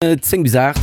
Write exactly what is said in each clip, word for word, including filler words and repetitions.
Zéng bis aacht.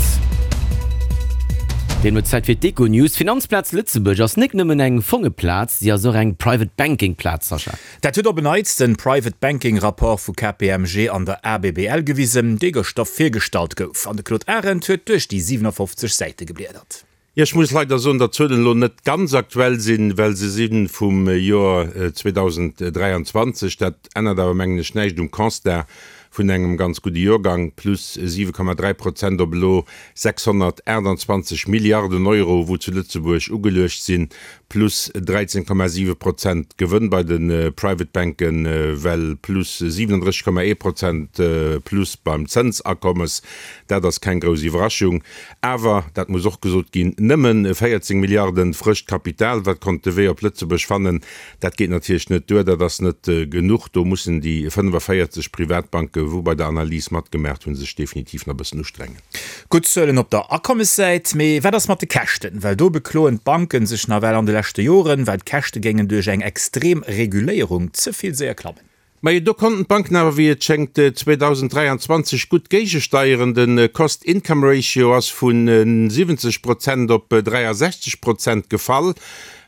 Deemno Zäit fir d'Econews. D'Finanzplaz Lëtzebuerg ass nik nëmmen eng Fongeplaz, si ass och eng Private Banking Plaz, Sascha. Dat huet op en Neits den Private Banking Rapport vu K P M G an der A B B L gewisen, dee gëschter virgestallt gouf. An de Claude Arend huet duerch déi siwenafoffzeg Säite gebliedert. Jo, ech muss leider soen, datt d'Zuelen elo net ganz aktuell sinn, well se si vum Joer zweedausend dräianzwanzeg. Dat ännert awer, mengen ech, näischt um Constat vun engem ganz gudde Joergang, plus siwe Komma dräi Prozent op elo sechshonnertaachtanzwanzeg Milliarden Euro, wou zu Lëtzebuerg ugeluecht sinn, plus dräizéng Komma siwe Prozent Gewënn bei de Private Banken, well plus siwenendrësseg Komma ee Prozent plus beim Zënsakommes. Dat ass keng grouss Iwwerraschung. Awer, dat muss och gesot ginn, nëmme véierzéng Milliarden frëscht Kapital, wat konnt de Wee op Lëtzebuerg fannen. Dat geet natierlech net duer, dat ass net genuch. Do mussen déi fënnefavéierzeg Privatbanke, wou bei der Analys matgemaacht hunn, sech definitiv nach e bëssen ustrengen. Gutt Zuelen op der Akommessäit, mee wat ass mat de Käschten? Well do bekloen d'Banken sech nawell an de leschte Joren, well d'Käschte géingen duerch eng extrem Reguléierung ze vill séier klammen. Majo, do konnten d'Banken awer, wéi et schéngt, zweedausend dräianzwanzeg gutt géigesteieren. De Cost-Income-Ratio ass vu siwwenzeg Prozent op dräiasechzeg Prozent gefall.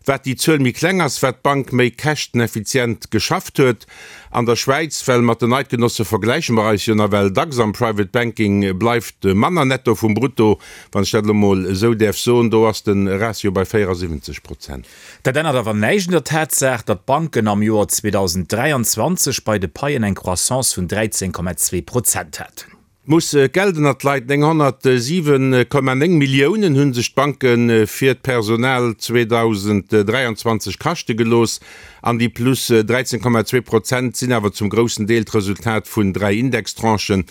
Wat déi Zuel méi kleng ass, wat d'Bank méi käschteneffizient geschafft huet. An der Schwäiz, well mat den Eidgenosse vergläiche mer eis jo nawell dacks am Private Banking, bleift manner netto vum Brutto, wann ech dat elo mol esou däerf soen. Do ass de Ratio bei véierasiwwenzeg Prozent. Dat ännert awer näischt un der Tatsaach, datt d'Banken am Joer zweedausend dräianzwanzeg bei de Paien eng Croissance vun dräizéng Komma zwee Prozent haten. Muss Geld ënnert d'Leit. nénghonnertsiwe Komma néng Milliounen hu sech d'Banke fir d'Personal zweedausend dräianzwanzeg kaschte gelooss. An déi plus dräizéng Komma zwee Prozent sinn awer zum groussen Deel d'Resultat vun dräi Indextranchen.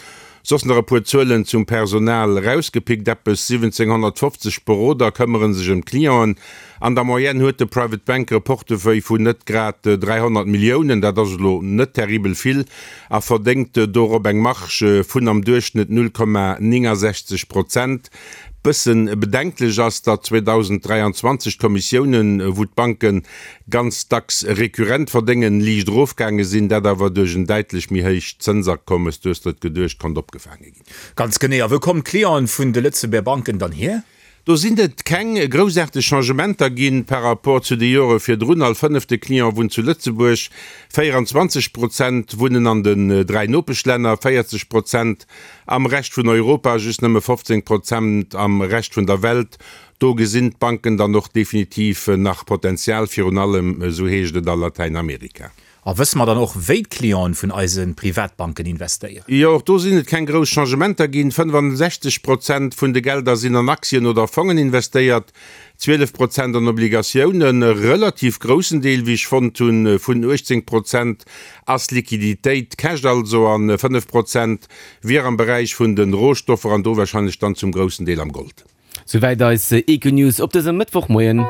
Soss nach e puer Zuelen zum Personal erausgepickt, Eppes siwwenzénghonnertfofzeg Beroder këmmere sech ëm d'Clienten. An der Moyenne huet de Private Banker e Portefeuille vun net grad dräihonnert Milliounen, dat ass elo net terribel vill, a verdéngt dorop eng Marge vun am Duerchschnëtt null Komma néngasechzeg Prozent. Bëssen bedenklech ass, datt zweedausend dräianzwanzeg d'Kommissiounen, wou d'Banke ganz dacks rekurrent verdéngen, liicht erofgaange sinn, dat awer duerch en däitlech méi héicht Zënsakommes, du hues der et geduecht, konnt opgefaange ginn. Ganz genee. A wou kommen d'Clienten vun de Lëtzebuerger Banken dann hier? Do sinn et keng groussaarteg Changementer ginn par rapport zu de Jore virdrun. All fënnefte Client wunnt zu Lëtzebuerg, véieranzwanzeg Prozent wunnen an den dräi Nopeschlänner, véierzeg Prozent am Rescht vun Europa, just nëmme fofzéng Prozent am Rescht vun der Welt. Do gesinn d'Banken dann och definitiv nach Potenzial, virun allem, esou heescht et, a Latäinamerika. A wësse mer dann och, wéi d'Clienten vun eise Privatbanken investéieren? Jo, och do sinn et keng grouss Changementer ginn. fënnefasechzeg Prozent vun de Gelder sinn an Aktien oder Fongen investéiert, zwielef Prozent an Obligatiounen. E relativ groussen Deel, wéi ech fonnt hunn, vun uechtzéng Prozent ass Liquiditéit, Cash also, a fënnef Prozent wier am Beräich vun de Rohstoffer an do warscheinlech dann zum groussen Deel am Gold. Souwäit eis Econews op dësem Mëttwochmoien.